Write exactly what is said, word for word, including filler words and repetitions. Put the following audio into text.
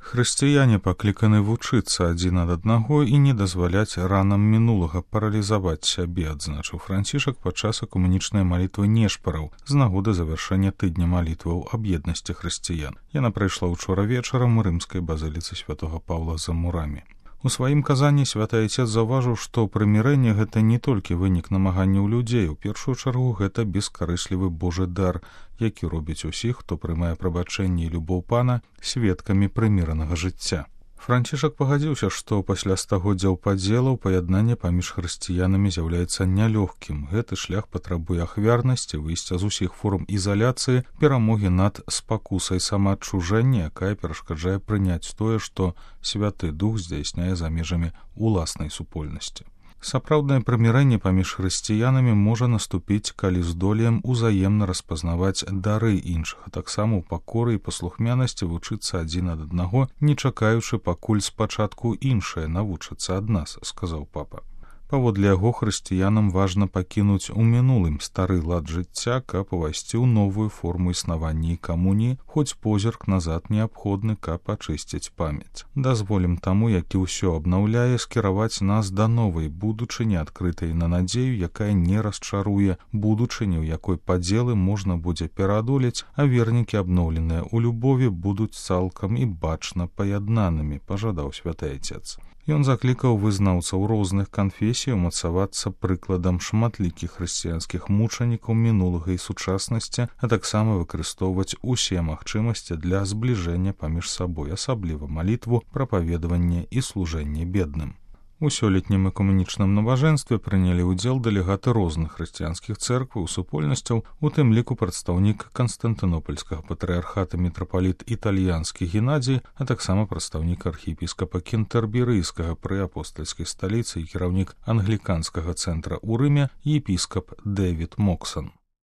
Хрысціяне пакліканы вучыцца адзін ад аднаго і не дазваляць ранам мінулага паралізаваць сябе, адзначыў Францішак падчас экумэнічнай малітвы нешпараў з нагоды завяршэння тыдня малітваў аб еднасці хрысціян. Яна прайшла ўчора вечарам у рымскай базыліцы святога Паўла за мурамі. У сваім казанні святы Айцец заўважыў, што прымірэнне гэта не толькі вынік намаганняў людзей, у першую чаргу гэта бескарыслівы Божы дар, які робіць усіх, хто прымае прабачэнне і любоў Пана, сведкамі прыміранага жыцця. Францішак пагадзіўся, што пасля стагоддзяў падзелаў паяднанне паміж хрысціянамі з'яўляецца нялёгкім. Гэты шлях патрабуе ахвярнасці, выйсця з усіх форм ізаляцыі, перамогі над спакусай самаадчужэння, якая перашкаджае прыняць тое, што Святы Дух здзяйсняе за межамі уласнай супольнасці. Сапраўднае прымірэнне паміж хрысціянамі можа наступіць, калі здолеем узаемна распазнаваць дары іншых, а таксама ў пакоры і паслухмянасці вучыцца адзін ад аднаго, не чакаючы, пакуль спачатку іншае навучыцца ад нас, сказаў папа. Паводле яго, хрысціянам важна пакінуць у мінулым стары лад жыцця, каб увайсці ў новую форму існавання і камуніі, хоць позірк назад неабходны, каб ачысціць памяць. Дазволім таму, які ўсё абнаўляе, скіраваць нас да новай будучыні, адкрытай на надзею, якая не расчаруе, будучыні, у якой падзелы можна будзе пераадолець, а вернікі, абноўленыя ў любові, будуць цалкам і бачна паяднанымі, пажадаў святы Айцец. Ён заклікаў вызнаўцаў розных канфесій умацавацца прыкладам шматлікіх хрысціянскіх мучанікаў мінулага і сучаснасці, а таксама выкарыстоўваць усе магчымасці для збліжэння паміж сабой, асабліва малітву, прапаведаванне і служэнне бедным. У сёлетнім экумэнічным набажэнстве прынялі ўдзел дэлегаты розных хрысціянскіх цэркваў, супольнасцяў, у тым ліку прадстаўнік Канстантынопольскага патрыархата мітрапаліт італьянскі Геннадзій, а таксама прадстаўнік архіепіскапа Кентэрберыйскага пры апостальскай сталіцы і кіраўнік англіканскага цэнтра ў Рыме епіскап Дэвід Моксан.